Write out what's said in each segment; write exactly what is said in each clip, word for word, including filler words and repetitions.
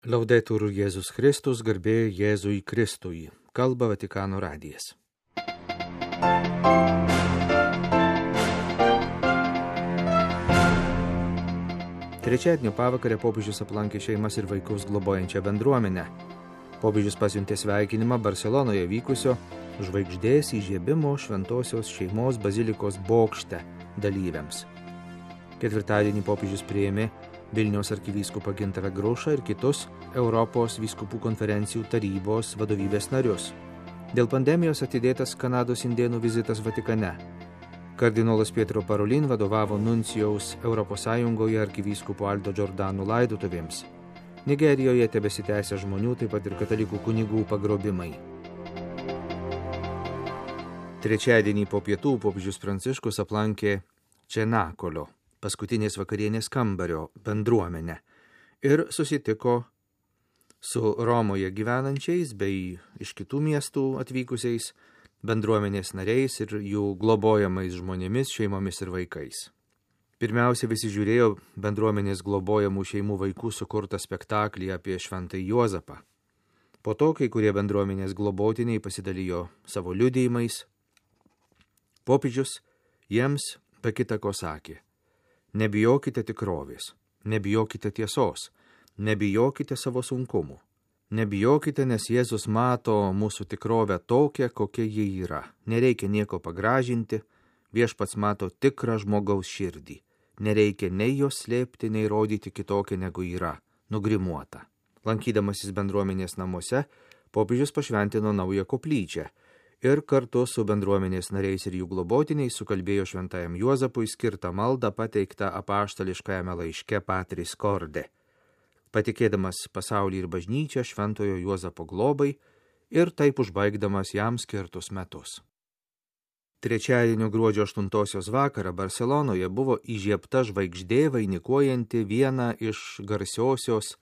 Laudetur Jėzus Kristus, garbė Jėzui Kristui. Kalba Vatikano radijas. Trečiadienio pavakarę popiežius aplankė šeimas ir vaikus globojančią bendruomenę. Popiežius pasiuntė sveikinimą Barselonoje vykusio žvaigždės įžiebimo šventosios šeimos bazilikos bokšte dalyviams. Ketvirtadienį popiežius priėmė Vilniaus arkivyskupą Gintarą Grušą ir kitus Europos vyskupų konferencijų tarybos vadovybės narius. Dėl pandemijos atidėtas Kanados indėnų vizitas Vatikane. Kardinolas Pietro Parolin vadovavo nuncijaus Europos Sąjungoje arkivyskupo Aldo Giordano laidotuvėms. Nigerijoje tebesitęsia žmonių, taip pat ir katalikų kunigų pagrobimai. Trečiadienį po pietų popiežius Pranciškus aplankė Čenakolio, paskutinės vakarienės kambario bendruomenę ir susitiko su Romoje gyvenančiais bei iš kitų miestų atvykusiais bendruomenės nariais ir jų globojamais žmonėmis, šeimomis ir vaikais. Pirmiausia, visi žiūrėjo bendruomenės globojamų šeimų vaikų sukurtą spektaklį apie šventąjį Juozapą. Po to, kai kurie bendruomenės globotiniai pasidalijo savo liudijimais, popiežius jiems be kita ko sakė: nebijokite tikrovės, nebijokite tiesos, nebijokite savo sunkumų. Nebijokite, nes Jėzus mato mūsų tikrovę tokią, kokia ji yra. Nereikia nieko pagražinti, viešpats mato tikrą žmogaus širdį. Nereikia nei jos slėpti, nei rodyti kitokią negu yra, nugrimuota. Lankydamasis bendruomenės namuose, popiežius pašventino naują koplyčią ir kartu su bendruomenės nariais ir jų globotiniais sukalbėjo šventajam Juozapui skirtą maldą pateiktą apaštališkajame laiške Patris Corde, patikėdamas pasaulį ir bažnyčią šventojo Juozapo globai ir taip užbaigdamas jam skirtus metus. Trečiadienio gruodžio aštuntosios vakarą Barselonoje buvo įžiebta žvaigždė vainikuojanti vieną iš garsiosios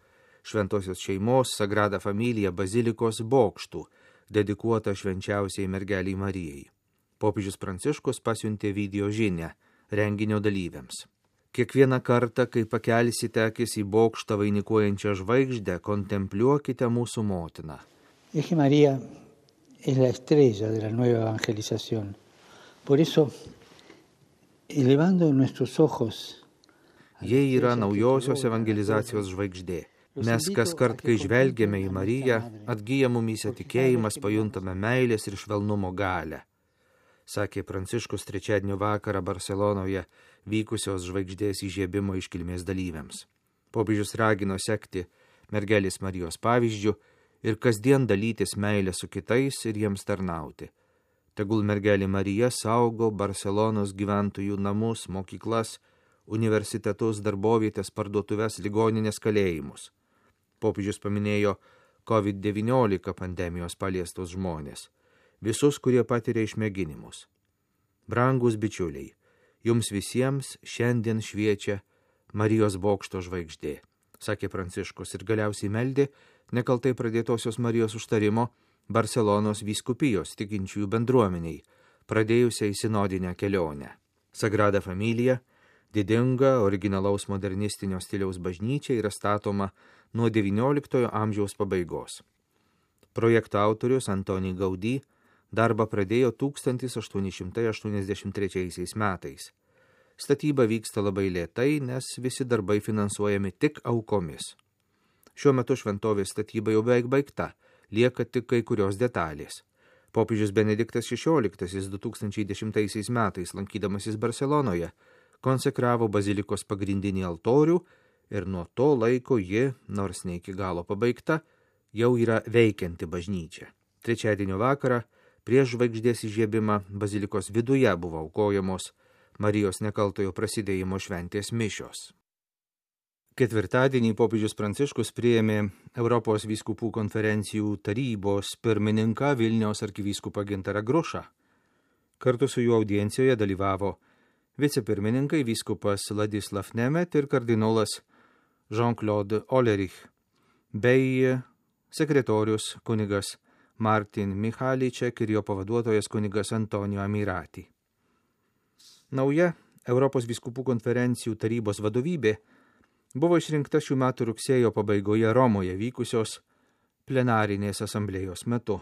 šventosios šeimos Sagrada Familia bazilikos bokštų, dedikuota švenčiausiai mergeliai Marijai. Popiežius Pranciškus pasiuntė video žinią renginio dalyviams. Kiekvieną kartą, kai pakelsite akis į bokštą vainikuojančią žvaigždę, kontempliuokite mūsų motiną. Es que María es la estrella de la nueva evangelización. Por eso, elevando nuestros ojos, Jie yra naujosios evangelizacijos žvaigždė. Mes kas kart, kai žvelgiame į Mariją, atgyja mumyse tikėjimas, pajuntame meilės ir švelnumo galią, sakė Pranciškus trečiadienio vakarą Barselonoje vykusios žvaigždės įžiebimo iškilmės dalyviams. Popiežius ragino sekti mergelės Marijos pavyzdžiu ir kasdien dalytis meilę su kitais ir jiems tarnauti. Tegul mergelė Marija saugo Barselonos gyventojų namus, mokyklas, universitetus, darbovietės, parduotuves, ligoninės, kalėjimus. Popiežius paminėjo covid devyniolika pandemijos paliestus žmonės, visus, kurie patiria išmėginimus. Brangus bičiuliai, jums visiems šiandien šviečia Marijos bokšto žvaigždė, sakė Pranciškus ir galiausiai meldė nekaltai pradėtosios Marijos užtarimo Barselonos vyskupijos tikinčiųjų bendruomeniai, pradėjusiai sinodinę kelionę. Sagrada Familia, didinga, originalaus modernistinio stiliaus bažnyčia, yra statoma nuo devynioliktojo amžiaus pabaigos. Projekto autorius Antoni Gaudí darbą pradėjo tūkstantis aštuoni šimtai aštuoniasdešimt trečiaisiais metais. Statyba vyksta labai lėtai, nes visi darbai finansuojami tik aukomis. Šiuo metu šventovės statyba jau beveik baigta, lieka tik kai kurios detalės. Popiežius Benediktas šešioliktasis du tūkstančiai dešimtaisiais metais, lankydamasis Barselonoje, konsekravo bazilikos pagrindinį altorių ir nuo to laiko ji, nors ne iki galo pabaigta, jau yra veikianti bažnyčia. Trečiadienio vakarą prieš žvaigždės įžiebimą bazilikos viduje buvo aukojamos Marijos nekaltojo prasidėjimo šventės mišios. Ketvirtadienį popiežius Pranciškus priėmė Europos vyskupų konferencijų tarybos pirmininką Vilniaus arkivyskupą Gintarą Grušą. Kartu su juo audiencijoje dalyvavo vicepirmininkai vyskupas Ladislav Nemet ir kardinolas Jean-Claude Olerich, bei sekretorius kunigas Martin Michaliček ir jo pavaduotojas kunigas Antonijo Amirati. Nauja Europos vyskupų konferencijų tarybos vadovybė buvo išrinkta šių metų rugsėjo pabaigoje Romoje vykusios plenarinės asamblėjos metu.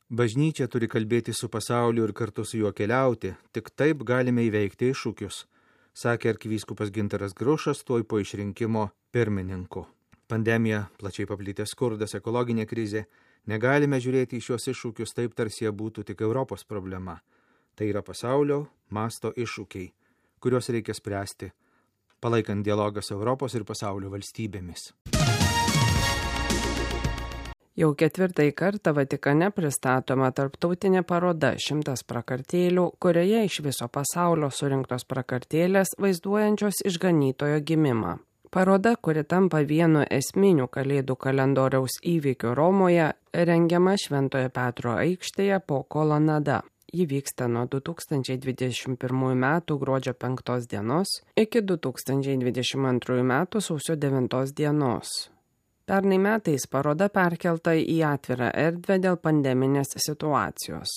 Bažnyčia turi kalbėti su pasauliu ir kartu su juo keliauti, tik taip galime įveikti iššūkius, sakė arkivyskupas Gintaras Grušas tuoj po išrinkimo pirmininku. Pandemija, plačiai paplitęs skurdas, ekologinė krizė, negalime žiūrėti į šios iššūkius taip, tarsi jie būtų tik Europos problema. Tai yra pasaulio masto iššūkiai, kuriuos reikia spręsti, palaikant dialogą su Europos ir pasaulio valstybėmis. Jau ketvirtąjį kartą Vatikane pristatoma tarptautinė paroda šimtas prakartėlių, kurioje iš viso pasaulio surinktos prakartėlės vaizduojančios išganytojo gimimą. Paroda, kuri tampa vienu esminių Kalėdų kalendoriaus įvykių Romoje, rengiama Šventojo Petro aikštėje po kolonada. Ji vyksta nuo du tūkstančiai dvidešimt pirmųjų metų gruodžio penktos dienos iki du tūkstančiai dvidešimt antrųjų metų sausio devintos dienos. Pernai metais paroda perkelta į atvirą erdvę dėl pandeminės situacijos.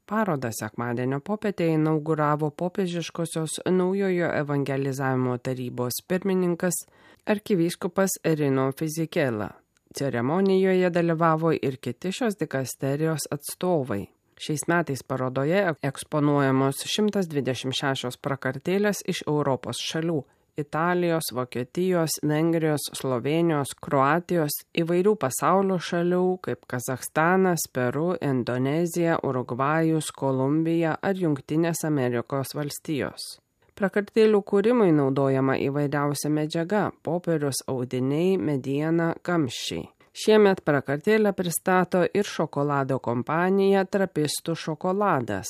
Parodą sekmadienio popietę inauguravo popiežiškosios naujojo evangelizavimo tarybos pirmininkas arkivyskupas Rino Fisichella. Ceremonijoje dalyvavo ir kiti šios dikasterijos atstovai. Šiais metais parodoje eksponuojamos šimtas dvidešimt šešios prakartėlės iš Europos šalių – Italijos, Vokietijos, Vengrijos, Slovėnijos, Kroatijos, įvairių pasaulio šalių kaip Kazachstanas, Peru, Indonezija, Urugvajus, Kolumbija ar Jungtinės Amerikos valstijos. Prakartėlių kūrimui naudojama įvairiausia medžiaga – popierius, audiniai, mediena, kamščiai. Šiemet prakartėlę pristato ir šokolado kompanija Trapistų šokoladas.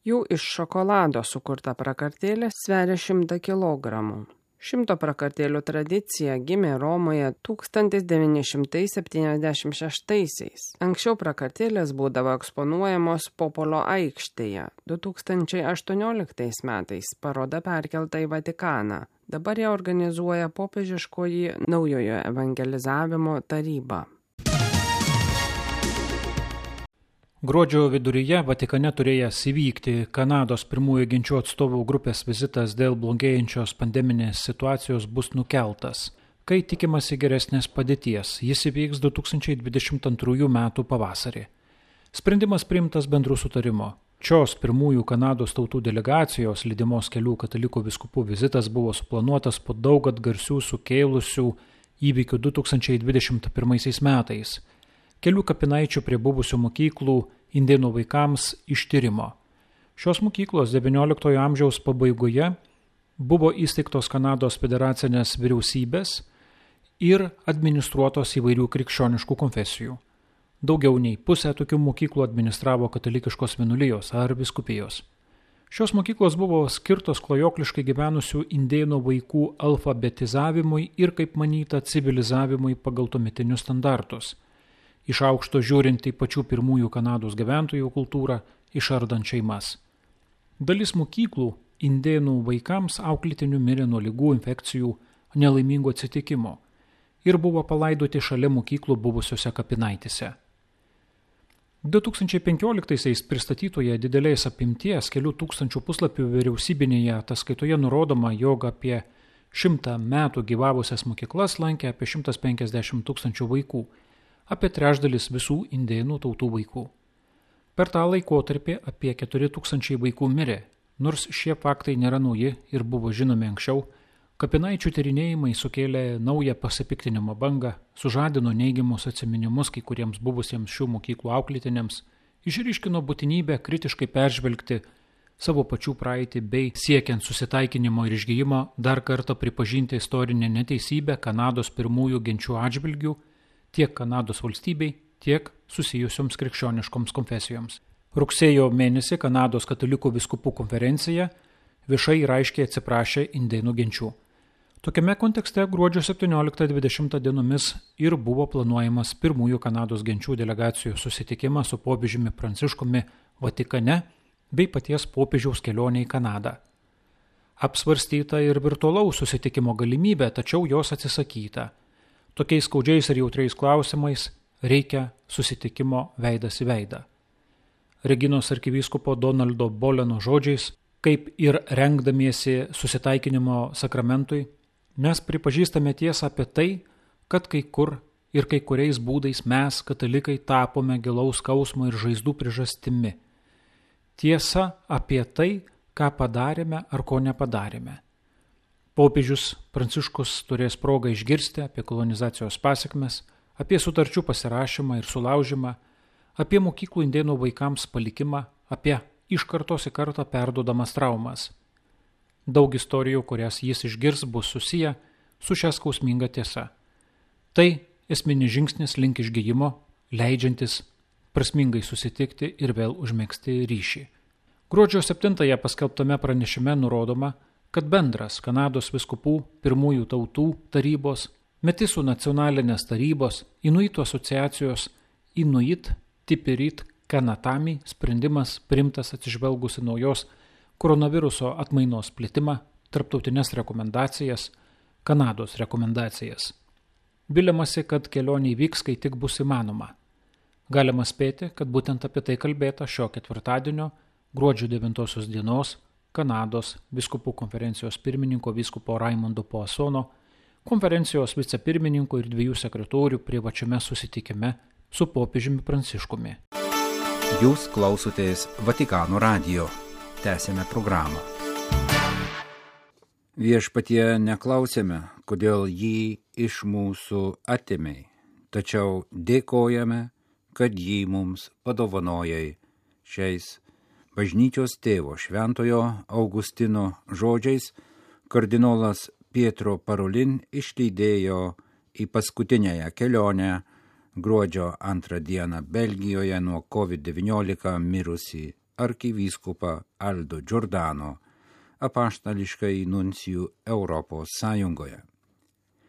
Jų iš šokolado sukurta prakartėlė sveria šimtą kilogramų. Šimto prakartėlių tradicija gimė Romoje tūkstantis devyni šimtai septyniasdešimt šeštaisiais. Anksčiau prakartėlės būdavo eksponuojamos Popolo aikštėje. du tūkstančiai aštuonioliktais metais paroda perkelta į Vatikaną. Dabar ją organizuoja popiežiškoji naujojo evangelizavimo taryba. Gruodžio viduryje Vatikane turėjęs įvykti Kanados pirmųjų ginčių atstovų grupės vizitas dėl blogėjančios pandeminės situacijos bus nukeltas, kai tikimasi geresnės padėties. Jis įvyks du tūkstančiai dvidešimt antrųjų metų pavasarį. Sprendimas priimtas bendru sutarimo. Šios pirmųjų Kanados tautų delegacijos lydimos kelių katalikų vyskupų vizitas buvo suplanuotas po daug atgarsių sukėlusių įvykių du tūkstančiai dvidešimt pirmaisiais metais. Kelių kapinaičių prie buvusių mokyklų indėnų vaikams ištyrimo. Šios mokyklos devynioliktojo amžiaus pabaigoje buvo įsteigtos Kanados federacinės vyriausybės ir administruotos įvairių krikščioniškų konfesijų. Daugiau nei pusę tokių mokyklų administravo katalikiškos vienuolijos ar vyskupijos. Šios mokyklos buvo skirtos klajokliškai gyvenusių indėnų vaikų alfabetizavimui ir, kaip manyta, civilizavimui pagal tuometinius standartus. Iš aukšto žiūrint į pačių pirmųjų Kanados gyventojų kultūrą, išardant šeimas. Dalis mokyklų indėnų vaikams auklėtinių mirė nuo ligų, infekcijų, nelaimingų atsitikimo ir buvo palaidoti šalia mokyklų buvusiose kapinaitėse. du tūkstančiai penkioliktaisiais pristatytoje didelės apimties kelių tūkstančių puslapių vyriausybinėje ataskaitoje nurodoma, jog apie šimtą metų gyvavusias mokyklas lankė apie šimtas penkiasdešimt tūkstančių vaikų, apie trečdalis visų indėnų tautų vaikų. Per tą laikotarpį apie keturi tūkstančiai vaikų mirė, nors šie faktai nėra nauji ir buvo žinomi anksčiau. Kapinaičių tyrinėjimai sukėlė naują pasipiktinimo bangą, sužadino neigiamus atsiminimus kai kuriems buvusiems šių mokyklų auklėtiniams, išryškino būtinybę kritiškai peržvelgti savo pačių praeitį bei siekiant susitaikinimo ir išgijimo dar kartą pripažinti istorinę neteisybę Kanados pirmųjų genčių atžvilgių tiek Kanados valstybei, tiek susijusioms krikščioniškoms konfesijoms. Rugsėjo mėnesį Kanados katalikų vyskupų konferencija viešai ir aiškiai atsiprašė indėnų genčių. Tokiame kontekste gruodžio septynioliktą dvidešimtą dienomis ir buvo planuojamas pirmųjų Kanados genčių delegacijų susitikimas su popiežiumi Pranciškumi Vatikane bei paties popiežiaus kelionė į Kanadą. Apsvarstyta ir virtualaus susitikimo galimybė, tačiau jos atsisakyta. Tokiais skaudžiais ir jautriais klausimais reikia susitikimo veidas į veidą. Reginos arkivyskupo Donaldo Boleno žodžiais, kaip ir rengdamiesi susitaikinimo sakramentui, Mes pripažįstame tiesą apie tai, kad kai kur ir kai kuriais būdais mes, katalikai, tapome gilaus skausmo ir žaizdų priežastimi. Tiesa apie tai, ką padarėme ar ko nepadarėme. Popiežius Pranciškus turės progą išgirsti apie kolonizacijos pasekmes, apie sutarčių pasirašymą ir sulaužymą, apie mokyklų indėnų vaikams palikimą, apie iš kartos į kartą perduodamas traumas. Daug istorijų, kurias jis išgirs, bus susiję su šia skausminga tiesa. Tai esminis žingsnis link išgijimo, leidžiantis prasmingai susitikti ir vėl užmegzti ryšį. Gruodžio septintąją paskelbtame pranešime nurodoma, kad bendras Kanados vyskupų pirmųjų tautų tarybos, Metisų nacionalinės tarybos, Inuitų asociacijos Inuit Tipirit Kanatami sprendimas priimtas atsižvelgus į naujos koronaviruso atmainos plitimą, tarptautinės rekomendacijas, Kanados rekomendacijas. Viliamasi, kad kelionė įvyks, kai tik bus įmanoma. Galima spėti, kad būtent apie tai kalbėta šio ketvirtadienio, gruodžio devintosios dienos, Kanados vyskupų konferencijos pirmininko vyskupo Raimundo Poasono, konferencijos vicepirmininko ir dviejų sekretorių privačiame susitikime su popiežiumi Pranciškumi. Jūs klausotės Vatikano radijo. Tęsėme programą. Viešpatie neklausėme, kodėl jį iš mūsų atėmei, tačiau dėkojame, kad jį mums padovanojai. Šiais bažnyčios tėvo šventojo Augustino žodžiais kardinolas Pietro Parolin išlydėjo į paskutinėją kelionę gruodžio antrą dieną Belgijoje nuo covid devyniolika mirusį arkivyskupą Aldo Giordano, apaštališkąjį nuncijų Europos Sąjungoje.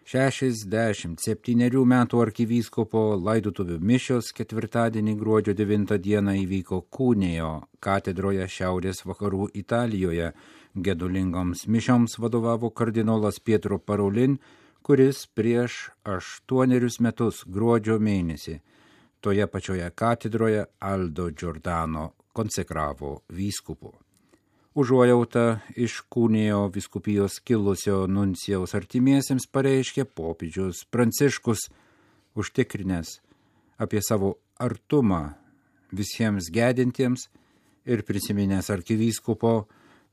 šešiasdešimt septynerių metų arkivyskupo laidotuvių mišios ketvirtadienį gruodžio devintą dieną įvyko Kūnėjo katedroje šiaurės vakarų Italijoje. Gedulingoms mišioms vadovavo kardinolas Pietro Parolin, kuris prieš aštuonerius metus gruodžio mėnesį toje pačioje katedroje Aldo Giordano konsekravo vyskupu. Užuojautą iš Kūnėjo vyskupijos kilusio nuncijaus artimiesiems pareiškė popiežius Pranciškus, užtikrinęs apie savo artumą visiems gedintiems ir prisiminęs arkivyskupo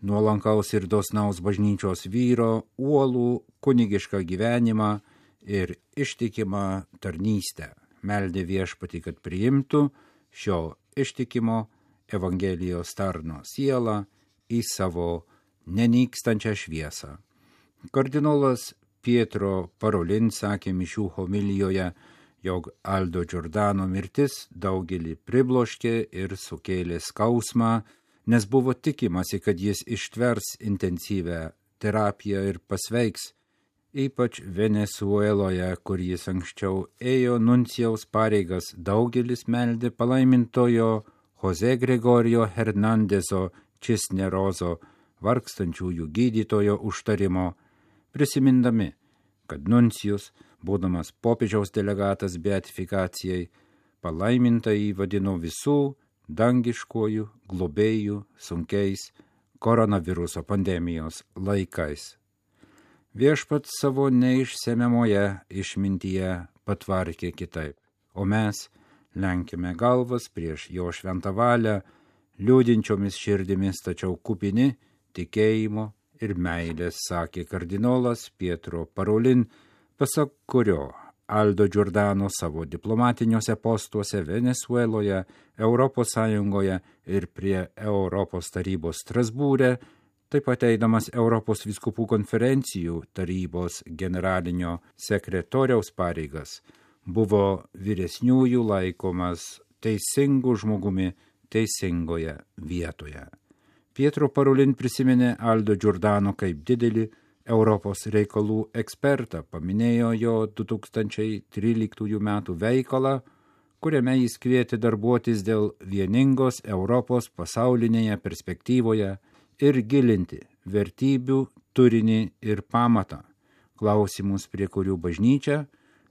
nuolankaus ir dosnaus bažnyčios vyro uolų kunigišką gyvenimą ir ištikimą tarnystę. Meldė viešpatį, kad priimtų šio ištikimo Evangelijos tarno sielą į savo nenykstančią šviesą. Kardinolas Pietro Parolin sakė mišių homilijoje, jog Aldo Giordano mirtis daugelį pribloškė ir sukėlė skausmą, nes buvo tikimasi, kad jis ištvers intensyvę terapiją ir pasveiks, ypač Venesueloje, kur jis anksčiau ėjo nuncijaus pareigas. Daugelis meldė palaimintojo Jose Gregorio Hernandezo Cisnerozo, vargstančiųjų gydytojo užtarimo, prisimindami, kad nuncijus, būdamas popiežiaus delegatas beatifikacijai, palaimintąjį vadino visų dangiškojų globėjų sunkiais koronaviruso pandemijos laikais. Viešpats savo neišsemiamoje išmintyje patvarkė kitaip, o mes lenkime galvas prieš jo šventą valią, liūdinčiomis širdimis, tačiau kupini tikėjimo ir meilės, sakė kardinolas Pietro Parolin, pasak kurio Aldo Giordano savo diplomatiniuose postuose Venesueloje, Europos Sąjungoje ir prie Europos tarybos Strasbūre, taip pat eidamas Europos vyskupų konferencijų tarybos generalinio sekretoriaus pareigas, buvo vyresniųjų laikomas teisingu žmogumi teisingoje vietoje. Pietro Parolin prisiminė Aldo Giordano kaip didelį Europos reikalų ekspertą, paminėjo jo du tūkstančiai tryliktųjų metų veikalą, kuriame jis kvietė darbuotis dėl vieningos Europos pasaulinėje perspektyvoje ir gilinti vertybių turinį ir pamatą, klausimus, prie kurių bažnyčia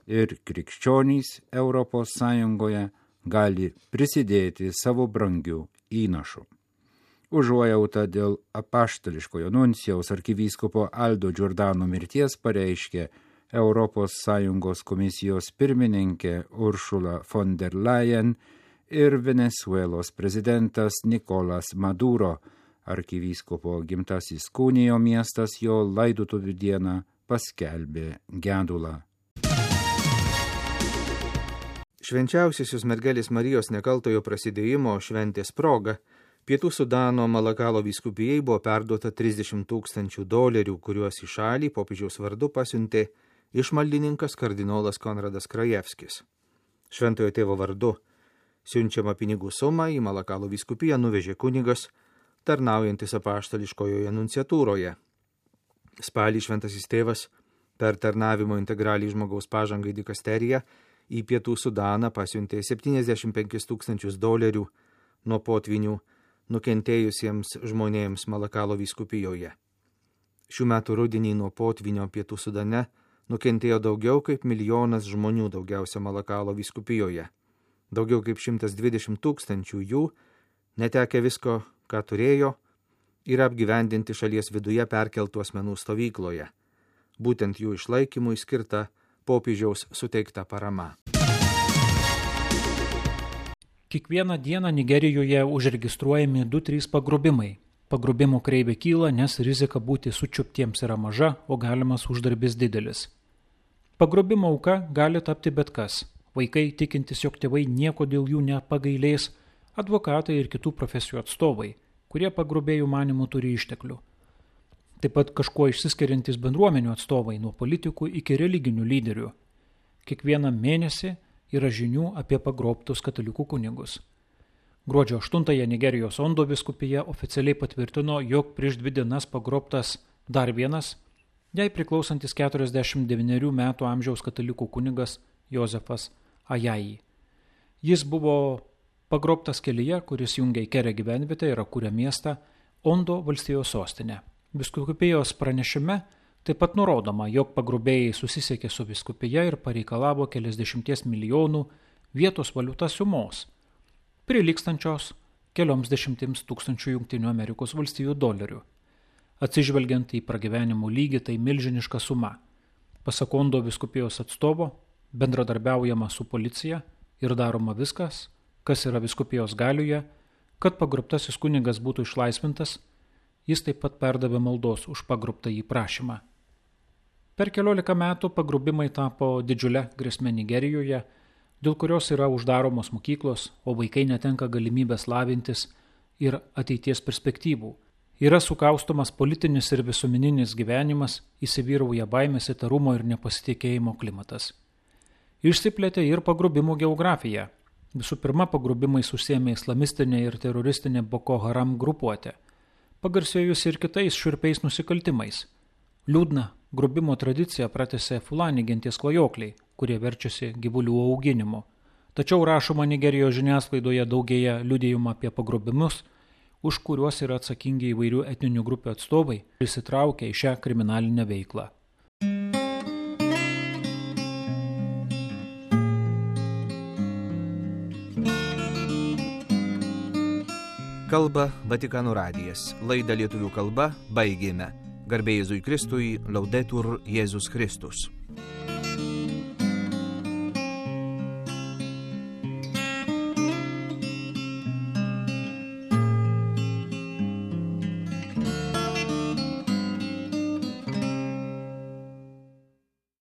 ir krikščionys Europos Sąjungoje gali prisidėti savo brangiu įnašu. užuojautą dėl apaštališkojo nuncijaus arkivyskupo Aldo Giordano mirties pareiškė Europos Sąjungos komisijos pirmininkė Ursula von der Leyen ir Venezuelos prezidentas Nicolas Maduro. Arkivyskupo gimtasis Kūnijo miestas jo laidotuvių dieną paskelbė gedulą. Švenčiausiosios mergelės Marijos nekaltojo prasidėjimo šventės proga Pietų Sudano Malakalo vyskupijai buvo perduota trisdešimt tūkstančių dolerių, kuriuos į šalį popiežiaus vardu pasiuntė išmaldininkas kardinolas Konradas Krajevskis. Šventojo tėvo vardu siunčiamą pinigų sumą į Malakalo vyskupiją nuvežė kunigas, tarnaujantis apaštališkojoje nunciatūroje. Spalį šventasis tėvas per tarnavimo integraliai žmogaus pažangai dikasteriją į Pietų Sudaną pasiuntė septyniasdešimt penkis tūkstančius dolerių nuo potvinių nukentėjusiems žmonėms Malakalo vyskupijoje. Šių metų rudenį nuo potvinio Pietų Sudane nukentėjo daugiau kaip milijonas žmonių, daugiausia Malakalo vyskupijoje. Daugiau kaip šimtas dvidešimt tūkstančių jų, netekę visko, ką turėjo, yra apgyvendinti šalies viduje perkeltų asmenų stovykloje. Būtent jų išlaikymui skirta popiežiaus suteikta parama. Kiekvieną dieną Nigerijoje užregistruojami du trys pagrobimai. Pagrobimo kreivė kyla, nes rizika būti sučiuptiems yra maža, o galimas uždarbis didelis. Pagrobimo auka gali tapti bet kas. Vaikai tikintis, jog tėvai nieko dėl jų nepagailės, advokatai ir kitų profesijų atstovai, kurie pagrobėjų manimų turi išteklių. Taip pat kažkuo išsiskiriantys bendruomenių atstovai nuo politikų iki religinių lyderių. Kiekvieną mėnesį yra žinių apie pagrobtus katalikų kunigus. Gruodžio aštuntąją Nigerijos Ondo vyskupija oficialiai patvirtino, jog prieš dvi dienas pagrobtas dar vienas, jai priklausantis keturiasdešimt devynerių metų amžiaus katalikų kunigas Jozefas Ajayi. Jis buvo pagrobtas kelyje, kuris jungia Ikere gyvenvietę ir Akure miestą, Ondo valstijos sostinę. Vyskupijos pranešime taip pat nurodoma, jog pagrobėjai susisiekė su vyskupija ir pareikalavo keliasdešimties milijonų vietos valiutos sumos, prilygstančios kelioms dešimtims tūkstančių Jungtinių Amerikos valstijų dolerių. Atsižvelgiant į pragyvenimo lygį, tai milžiniška suma. Pasak Ondo vyskupijos atstovo, bendradarbiaujama su policija ir daroma viskas, kas yra vyskupijos galioje, kad pagrobtasis kunigas būtų išlaisvintas. Jis taip pat perdavė maldos už pagrobtąjį prašymą. Per keliolika metų pagrobimai tapo didžiulę grėsmę Nigerijoje, dėl kurios yra uždaromos mokyklos, o vaikai netenka galimybės lavintis ir ateities perspektyvų. Yra sukaustomas politinis ir visuomeninis gyvenimas, įsivyrauja baimės, įtarumo ir nepasitikėjimo klimatas. Išsiplėtė ir pagrobimų geografija. Visų pirma, pagrobimais užsiėmė islamistinė ir teroristinė Boko Haram grupuotė, pagarsėjusi ir kitais šiurpiais nusikaltimais. Liūdna grobimo tradicija pratęsė Fulani genties klajokliai, kurie verčiasi gyvulių auginimu. Tačiau rašoma Nigerijos žiniasklaidoje daugėja liudijimų apie pagrobimus, už kuriuos yra atsakingi įvairių etninių grupių atstovai, įsitraukia į šią kriminalinę veiklą. Kalba Vatikano radijas. Laidą lietuvių kalba baigėme. Garbė Jėzui Kristui, Laudetur Jėzus Kristus.